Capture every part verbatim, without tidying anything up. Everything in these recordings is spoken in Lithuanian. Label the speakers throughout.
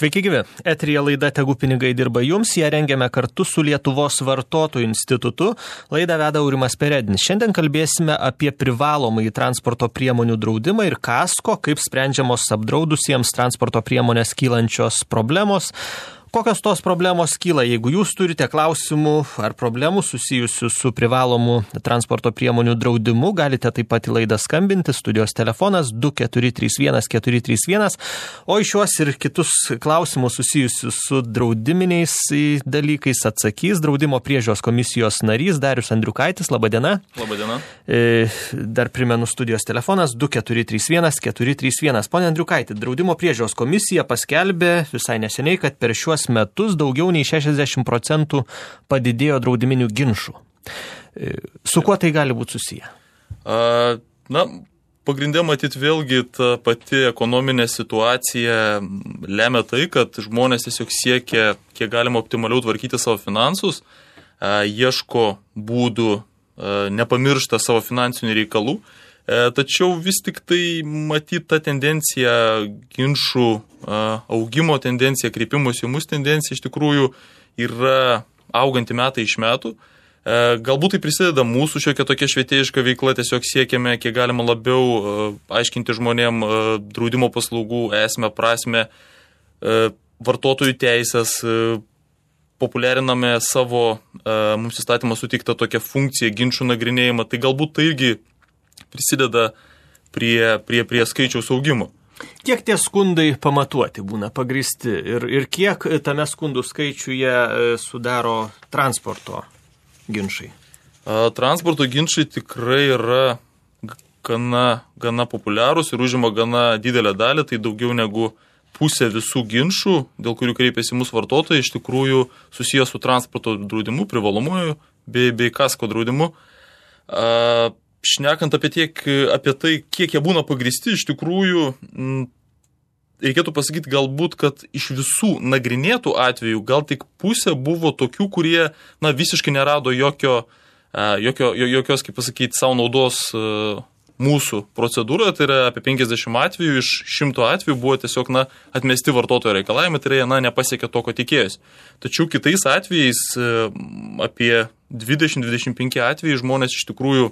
Speaker 1: Sveiki gyvi. Eteryje laida Tegu pinigai dirba jums. Ją rengiame kartu su Lietuvos vartotojų institutu. Laidą veda Aurimas Peredinis. Šiandien kalbėsime apie privalomąjį transporto priemonių draudimą ir kasko, kaip sprendžiamos apdraudusiems transporto priemonės kylančios problemos. Kokios tos problemos kyla? Jeigu jūs turite klausimų ar problemų susijusių su privalomu transporto priemonių draudimu, galite taip pat į laidą skambinti. Studijos telefonas du keturi trys vienas keturi trys vienas. O į šiuos ir kitus klausimus susijusius su draudiminiais dalykais atsakys Draudimo priežiūros komisijos narys Darius Andriukaitis. Labadiena.
Speaker 2: Labadiena.
Speaker 1: Dar primenu studijos telefonas du keturi trys vienas keturi trys vienas. Pone Andriukaiti, Draudimo priežiūros komisija paskelbė visai neseniai, kad per šiuos metus daugiau nei šešiasdešimt procentų padidėjo draudiminių ginčų. Su kuo tai gali būti susiję?
Speaker 2: A, na, pagrindė matyti vėlgi ta pati ekonominė situacija lemia tai, kad žmonės tiesiog siekia kiek galima optimaliau tvarkyti savo finansus, a, ieško būdų, a, nepamiršta savo finansinių reikalų. Tačiau vis tik tai matyti tą tendenciją, ginčų augimo tendencija, kreipimosi į mus tendencija iš tikrųjų yra auganti metai iš metų. Galbūt tai prisideda mūsų šiokia tokia švietėjiška veikla, tiesiog siekiame kiek galima labiau aiškinti žmonėm draudimo paslaugų esmę, prasmę, vartotojų teisės, populiariname savo mums įstatymą suteiktą tokią funkciją, ginčų nagrinėjimą. Tai galbūt tai irgi prisideda prie, prie, prie skaičiaus augimo.
Speaker 1: Kiek tie skundai pamatuoti būna pagrįsti ir, ir kiek tame skundų skaičiuje sudaro transporto ginčai?
Speaker 2: Transporto ginčai tikrai yra gana, gana populiarūs ir užima gana didelę dalį, tai daugiau negu pusė visų ginčų, dėl kurių kreipiasi mūsų vartotojai, iš tikrųjų susijęs su transporto draudimu, privalomuoju bei, bei kasko draudimu. Šnekant apie, tiek, apie tai, kiek jie būna pagrįsti, iš tikrųjų m, reikėtų pasakyti galbūt, kad iš visų nagrinėtų atvejų gal tik pusė buvo tokių, kurie na, visiškai nerado jokio, jokio, jokios, kaip pasakyti, savo naudos mūsų procedūroje. Tai yra apie penkiasdešimt atvejų, iš šimto atvejų buvo tiesiog na, atmesti vartotojo reikalavimai, tai yra na, nepasiekė to, ko tikėjosi. Tačiau kitais atvejais apie dvidešimt dvidešimt penki atvejai žmonės iš tikrųjų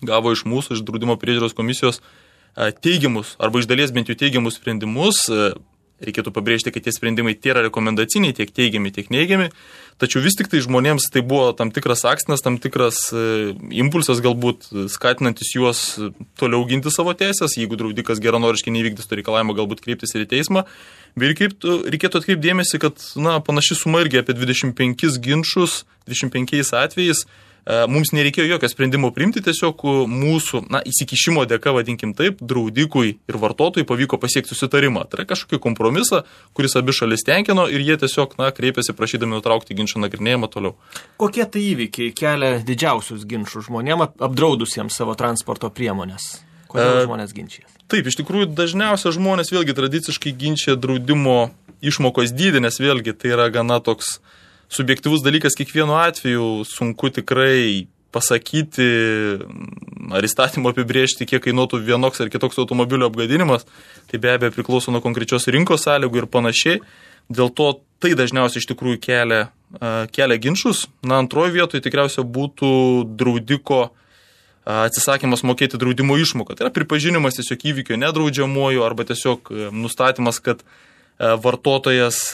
Speaker 2: gavo iš mūsų, iš Draudimo priežiūros komisijos teigiamus, arba iš dalies bent jau teigiamus sprendimus. Reikėtų pabrėžti, kad tie sprendimai tiek rekomendaciniai, tiek teigiami, tiek neigiami. Tačiau vis tik tai žmonėms tai buvo tam tikras akstinas, tam tikras impulsas galbūt skatinantis juos toliau ginti savo teisės, jeigu draudikas geranoriškai nevykdys to reikalavimo, galbūt kreiptis ir į teismą. Bet reikėtų, reikėtų atkreipti dėmesį, kad na, panaši suma irgi apie dvidešimt penkis ginčus, dvidešimt penkiais atvejais. Mums nereikėjo jokio sprendimo priimti, tiesiog mūsų na, įsikišimo dėka, vadinkim taip, draudikui ir vartotojui pavyko pasiekti susitarimą. Tai yra kažkokį kompromisą, kuris abi šalis tenkino ir jie tiesiog na, kreipėsi prašydami nutraukti ginčą nagrinėjimą toliau.
Speaker 1: Kokie tai įvykiai kelia didžiausius ginčus žmonėm apdraudusiems savo transporto priemonės? Kodėl e, žmonės ginčijas?
Speaker 2: Taip, iš tikrųjų dažniausia žmonės vėlgi tradiciškai ginčia draudimo išmokos dydį, nes vėlgi tai yra gana toks subjektyvus dalykas kiekvienu atveju, sunku tikrai pasakyti ar įstatymo apibrėžti, kiek kainuotų vienoks ar kitoks automobilio apgadinimas. Tai be abejo priklauso nuo konkrečios rinkos sąlygų ir panašiai. Dėl to tai dažniausiai iš tikrųjų kelia, kelia ginčus. Na, antroji vietoje tikriausiai būtų draudiko atsisakymas mokėti draudimo išmoką. Tai yra pripažinimas tiesiog įvykio nedraudžiamuoju arba tiesiog nustatymas, kad vartotojas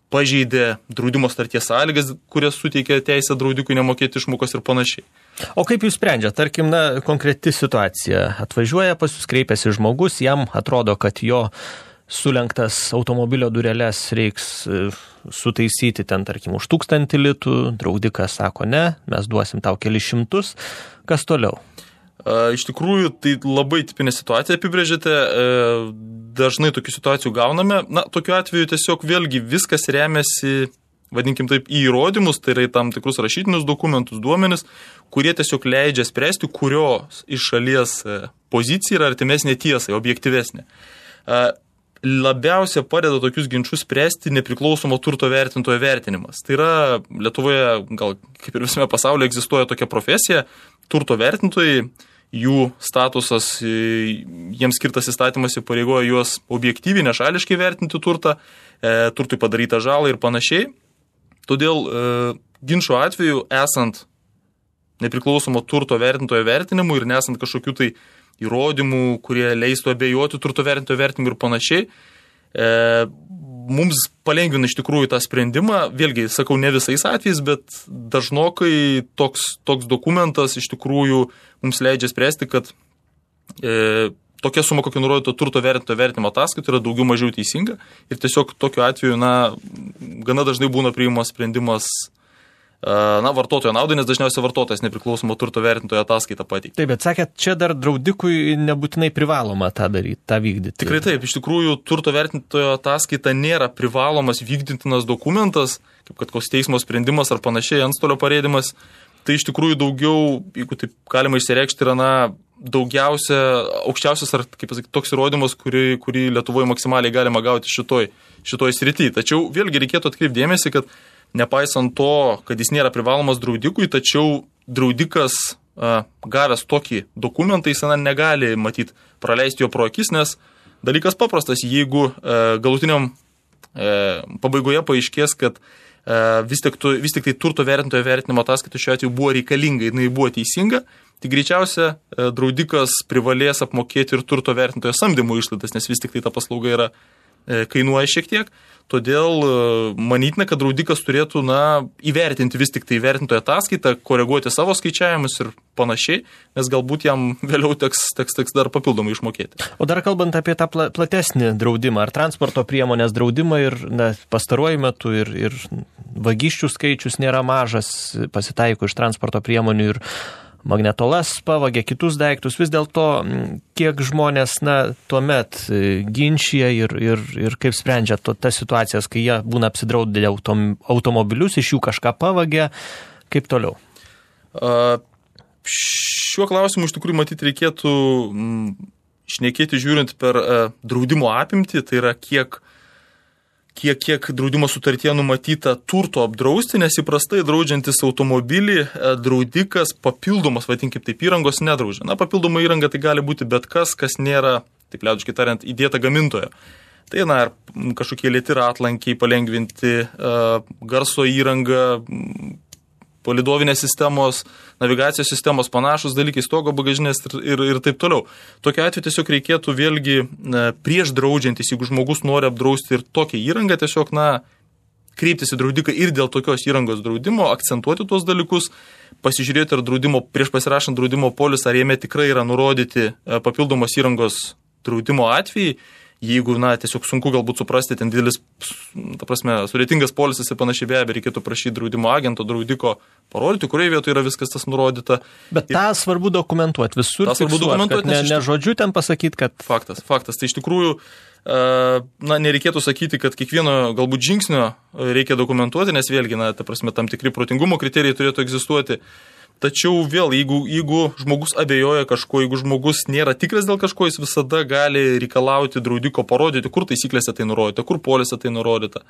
Speaker 2: pažeidė draudimo starties sąlygas, kurias suteikia teisę draudikui nemokėti išmokos ir panašiai.
Speaker 1: O kaip jūs sprendžia? Tarkim, na, konkreti situacija. Atvažiuoja pas jūs, kreipiasi žmogus, jam atrodo, kad jo sulenktas automobilio dureles reiks sutaisyti ten, tarkim, už tūkstantį litų. Draudikas sako, ne, mes duosim tau kelis šimtus. Kas toliau?
Speaker 2: Iš tikrųjų, tai labai tipinė situacija apibrėžėte, dažnai tokių situacijų gauname. Na, tokiu atveju tiesiog vėlgi viskas remiasi, vadinkim taip, į įrodymus, tai yra į tam tikrus rašytinius dokumentus, duomenis, kurie tiesiog leidžia spręsti, kurios iš šalies pozicija yra artimesnė tiesai, objektyvesnė. Labiausia padeda tokius ginčus spręsti nepriklausomo turto vertintojo vertinimas. Tai yra Lietuvoje, gal kaip ir visame pasaulyje, egzistuoja tokia profesija, turto vertintojai. jų statusas, jiems skirtas įstatymas įpareigoja juos objektyviai, nešališkai vertinti turtą, e, turtui padarytą žalą ir panašiai. Todėl e, ginčo atveju, esant nepriklausomo turto vertintojo vertinimu ir nesant kažkokių tai įrodymų, kurie leistų abejoti turto vertintojo vertinimu ir panašiai, e, mums palengvina iš tikrųjų tą sprendimą. Vėlgi, sakau, ne visais atvejais, bet dažnokai toks, toks dokumentas iš tikrųjų mums leidžia spręsti, kad e, tokia suma, kokia nurodyta turto vertintojo vertinimo ataskaita, yra daugiau mažiau teisinga ir tiesiog tokiu atveju, na, gana dažnai būna priimamas sprendimas na, vartotojo naudai, nes dažniausiai vartotojas nepriklausomo turto vertintojo ataskaitą pateikia.
Speaker 1: Taip, bet sakėt, čia dar draudikui nebūtinai privaloma tą daryti, tą vykdyti.
Speaker 2: Tikrai taip, iš tikrųjų turto vertintojo ataskaita nėra privalomas vykdytinas dokumentas, kaip kad koks teismo sprendimas ar panašiai, antstolio parėdimas. Tai iš tikrųjų daugiau, jeigu taip galima išsireikšti, yra na, daugiausia, aukščiausias ar, kaip pasakyti, toks įrodymas, kurį, kurį Lietuvoje maksimaliai galima gauti šitoj, šitoj srity. Tačiau vėlgi reikėtų atkreipti dėmesį, kad nepaisant to, kad jis nėra privalomas draudikui, tačiau draudikas a, gavęs tokį dokumentą, jis na, negali matyti praleisti jo pro akis, nes dalykas paprastas, jeigu a, galutiniam a, pabaigoje paaiškės, kad a, vis, tik tu, vis tik tai turto vertintojo vertinimo ataskaita šiuo atveju buvo reikalinga, jinai buvo teisinga, tai greičiausia a, draudikas privalės apmokėti ir turto vertintojo samdymo išlaidas, nes vis tik tai ta paslauga yra a, kainuoja šiek tiek. Todėl manytina, kad draudikas turėtų na, įvertinti vis tik tai vertintojo ataskaitą, koreguoti savo skaičiavimus ir panašiai, nes galbūt jam vėliau teks, teks, teks dar papildomai išmokėti.
Speaker 1: O dar kalbant apie tą platesnį draudimą, ar transporto priemonės draudimą ir na, pastaruoju metu ir, ir vagysčių skaičius nėra mažas, pasitaiko iš transporto priemonių ir magnetolas pavagė kitus daiktus, vis dėlto kiek žmonės na, tuomet ginčia ir, ir, ir kaip sprendžia to, tas situacijas, kai jie būna apsidraudę autom, automobilius, iš jų kažką pavagė, kaip toliau?
Speaker 2: A, šiuo klausimu iš tikrųjų matyti reikėtų m, šnekėti žiūrint per a, draudimo apimtį, tai yra kiek kiek, kiek draudimo sutartyje numatyta turto apdrausti, nes įprastai draudžiantis automobilį draudikas papildomas, vadinkim taip, įrangos nedraudžia. Na, papildoma įranga tai gali būti bet kas, kas nėra, taip liaudiškai tariant, įdėta gamintojo. Tai, na, kažkokie lėti ratlankiai palengvinti, garso įranga, palidovinės sistemos, navigacijos sistemos, panašus dalykai, stogo bagažinės ir, ir, ir taip toliau. Tokiu atveju tiesiog reikėtų vėlgi prieš draudžiantis, jeigu žmogus nori apdrausti ir tokią įrangą, tiesiog, na, kreiptis į draudiką ir dėl tokios įrangos draudimo, akcentuoti tuos dalykus, pasižiūrėti, ar draudimo, prieš pasirašant draudimo polisą, ar jame tikrai yra nurodyti papildomos įrangos draudimo atvejai. Jeigu, na, tiesiog sunku galbūt suprasti, ten didelis, ta prasme, sudėtingas polisas ir panašiai, be abejo, reikėtų prašyti draudimo agento, draudiko parodyti, kurioje vietoje yra viskas tas nurodyta.
Speaker 1: Bet tą ir svarbu dokumentuoti visur, fiksuoti, kad ne, ne žodžiu ten pasakyti, kad...
Speaker 2: Faktas, faktas. Tai iš tikrųjų, na, nereikėtų sakyti, kad kiekvieno galbūt žingsnio reikia dokumentuoti, nes vėlgi, na, ta prasme, tam tikri protingumo kriterijai turėtų egzistuoti. Tačiau vėl, jeigu, jeigu žmogus abejoja kažko, jeigu žmogus nėra tikras dėl kažko, jis visada gali reikalauti draudiko parodyti, kur taisyklėse tai nurodyta, kur polise tai nurodyta.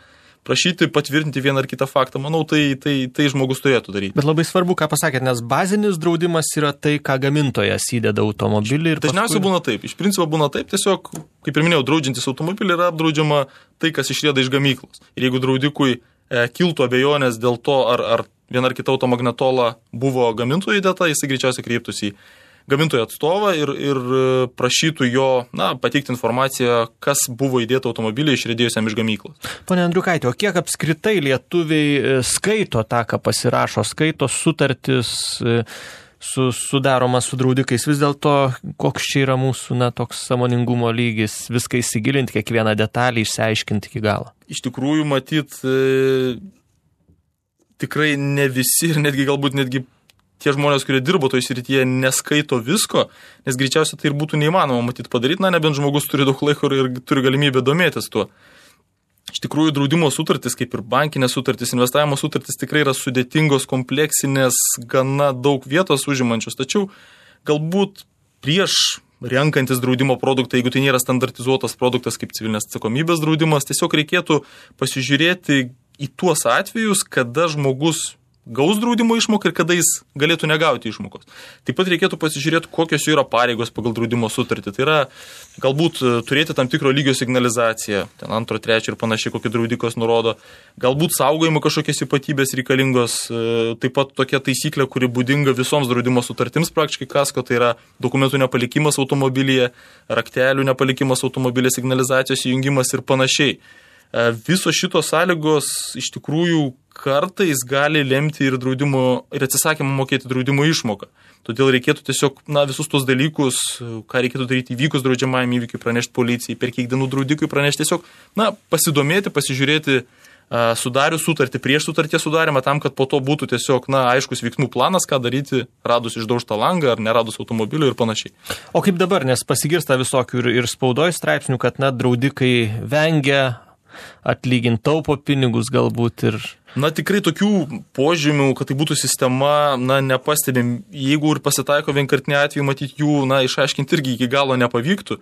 Speaker 2: Prašyti patvirtinti vieną ar kitą faktą, manau, tai, tai, tai žmogus turėtų daryti.
Speaker 1: Bet labai svarbu, ką pasakėt, nes bazinis draudimas yra tai, ką gamintojas įdeda automobilį. Ir
Speaker 2: dažniausiai paskui... būna taip. Iš principo būna taip, tiesiog, kaip ir minėjau, draudžiantis automobilį yra apdraudžiama tai, kas išrieda iš gamyklos. Ir jeigu draudikui e, kiltų abejonės dėl to, ar, ar viena ar kita automagnetola buvo gamintojo įdėta, jisai greičiausiai kreiptųsi į gamintojo atstovą ir, ir prašytų jo, na, pateikti informaciją, kas buvo įdėta automobilį išriedėjusiam iš gamyklos.
Speaker 1: Pone Andriukaitė, o kiek apskritai lietuviai skaito tą, ką pasirašo, skaito sutartis su, sudaromas su draudikais? Vis dėlto, koks čia yra mūsų, na, toks sąmoningumo lygis, viską įsigilinti, kiekvieną detalį išsiaiškinti iki galo?
Speaker 2: Iš tikrųjų, matyt, e, tikrai ne visi ir netgi galbūt netgi tie žmonės, kurie dirbo toj srityje, neskaito visko, nes greičiausiai tai ir būtų neįmanoma matyti padaryti, na, nebent žmogus turi daug laiko ir turi galimybę domėtis tuo. Iš tikrųjų, draudimo sutartys, kaip ir bankinės sutartys, investavimo sutartys tikrai yra sudėtingos, kompleksinės, gana daug vietos užimančios, tačiau galbūt prieš renkantis draudimo produktą, jeigu tai nėra standartizuotas produktas kaip civilinės atsakomybės draudimas, tiesiog reikėtų pasižiūrėti į tuos atvejus, kada žmogus gaus draudimo išmoką ir kada jis galėtų negauti išmokos. Taip pat reikėtų pasižiūrėti, kokios jų yra pareigos pagal draudimo sutartį. Tai yra galbūt turėti tam tikro lygio signalizaciją, ten antro, trečio ir panašiai, kokį draudikas nurodo. Galbūt saugojimo kažkokios ypatybės reikalingos. Taip pat tokia taisyklė, kuri būdinga visoms draudimo sutartims praktiškai kasko, tai yra dokumentų nepalikimas automobilyje, raktelių nepalikimas automobilė, signalizacijos įjungimas ir panašiai. Visos šitos sąlygos iš tikrųjų kartais gali lemti ir, draudimo, ir atsisakymą mokėti draudimo išmoką. Todėl reikėtų tiesiog na, visus tos dalykus, ką reikėtų daryti įvykus draudžiamajam įvykiui, pranešti policijai, per kiek dienų draudikui pranešti, tiesiog na, pasidomėti, pasižiūrėti sudarius sutartį prieš sutarties sudarimą, tam, kad po to būtų tiesiog na, aiškus veiksmų planas, ką daryti, radus išdaužtą langą ar neradus automobilio ir panašiai.
Speaker 1: O kaip dabar, nes pasigirsta visokių ir, ir spaudoj straipsnių, kad na, draudikai vengia atlyginti, taupo pinigus galbūt ir...
Speaker 2: Na, tikrai tokių požymių, kad tai būtų sistema, na, nepastebim. Jeigu ir pasitaiko vienkartiniai atvejai, matyti jų, na, išaiškinti irgi iki galo nepavyktų.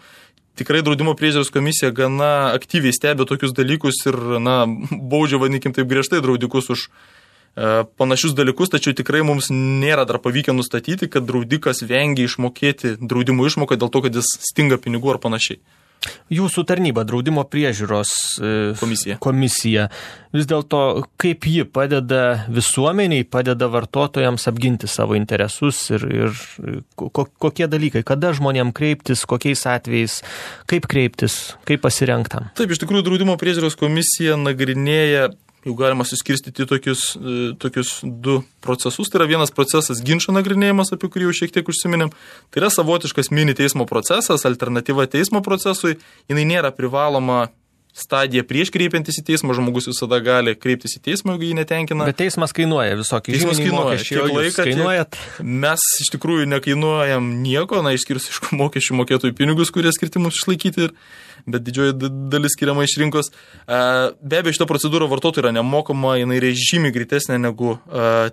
Speaker 2: Tikrai draudimo priežiūros komisija gana aktyviai stebi tokius dalykus ir, na, baudžia, vadinkim, taip griežtai draudikus už e, panašius dalykus, tačiau tikrai mums nėra dar pavykę nustatyti, kad draudikas vengia išmokėti draudimo išmoką dėl to, kad jis stinga pinigų ar panašiai.
Speaker 1: Jūsų tarnyba, draudimo priežiūros
Speaker 2: komisija.
Speaker 1: komisija, vis dėlto kaip ji padeda visuomeniai, padeda vartotojams apginti savo interesus ir, ir ko, kokie dalykai, kada žmonėm kreiptis, kokiais atvejais, kaip kreiptis, kaip pasirengtam?
Speaker 2: Taip, iš tikrųjų, draudimo priežiūros komisija nagrinėja, jau galima suskirstyti tokius, tokius du procesus. Tai yra vienas procesas ginčo nagrinėjimas, apie kurį jau šiek tiek užsiminėm. Tai yra savotiškas mini teismo procesas, alternatyva teismo procesui. Jinai nėra privaloma stadija prieš kreipiantis į teismą, žmogus visada gali kreiptis į teismą, jeigu jį netenkina.
Speaker 1: Bet teismas kainuoja visokį.
Speaker 2: Teismas kainuoja.
Speaker 1: Kiek laiką kainuojat?
Speaker 2: Mes iš tikrųjų nekainuojam nieko, na, išskyrus iš mokesčių mokėtojų pinigus, kurie skirti mums išlaikyti, bet didžioji dalis skiriama iš rinkos. Be abejo, šita procedūra vartotojų yra nemokama, jinai yra žymiai greitesnė negu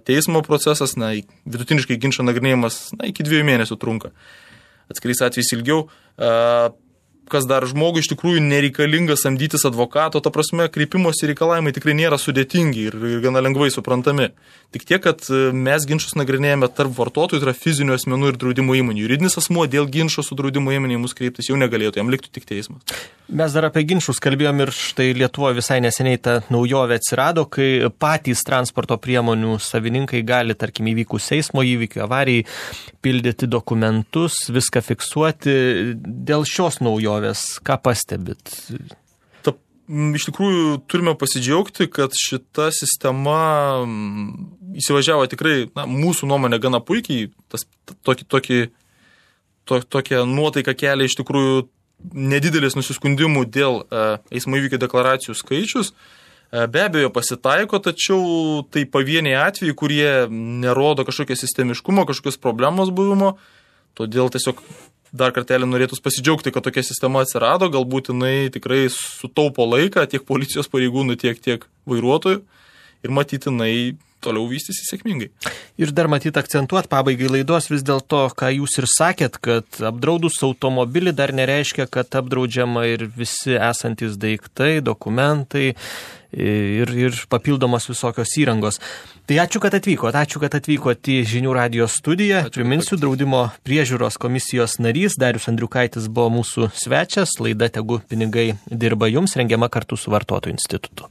Speaker 2: teismo procesas, na, vidutiniškai ginčo nagrinėjimas, na, iki dviejų mėnesių trunka. Atskirais atvejais ilgiau. Kas dar žmogui iš tikrųjų nereikalinga samdytis advokato, ta prasme, kreipimosi reikalavimai tikrai nėra sudėtingi ir, ir gana lengvai suprantami. Tik tiek, kad mes ginčus nagrinėjame tarp vartotojų, tai yra fizinių asmenų ir draudimo įmonių. Juridinis asmuo dėl ginčo su draudimo įmonė mus kreiptis jau negalėtų, jam liktų tik teismas.
Speaker 1: Mes dar apie ginčus kalbėjom ir štai Lietuvoje visai neseniai ta naujovė atsirado, kai patys transporto priemonių savininkai gali, tarkim, įvykus eismo įvykių, avarijai, pildyti dokumentus, viską fiksuoti. Dėl šios naujovės, ką pastebit?
Speaker 2: Ta, iš tikrųjų, turime pasidžiaugti, kad šita sistema įsivažiavo tikrai, na, mūsų nuomonė gana puikiai, tas tokį, tokį, to, tokią nuotaiką kelia iš tikrųjų nedidelis nusiskundimų dėl e, eismo įvykio deklaracijų skaičius. E, be abejo pasitaiko, tačiau tai pavieniai atvejai, kurie nerodo kažkokio sistemiškumo, kažkokios problemos buvimo. Todėl tiesiog dar kartelį norėtus pasidžiaugti, kad tokia sistema atsirado, galbūt jinai tikrai sutaupo laiką tiek policijos pareigūnų, tiek, tiek vairuotojų ir matyti jinai toliau vystysi sėkmingai.
Speaker 1: Ir dar matyt akcentuot pabaigai laidos vis dėlto, ką jūs ir sakėt, kad apdraudus automobilį dar nereiškia, kad apdraudžiama ir visi esantis daiktai, dokumentai ir, ir papildomos visokios įrangos. Tai ačiū, kad atvykot, ačiū, kad atvykot į Žinių radijos studiją. Ačiū, Priminsiu, draudimo priežiūros komisijos narys Darius Andriukaitis buvo mūsų svečias. Laida Tegu pinigai dirba jums, rengiama kartu su Vartotojų institutu.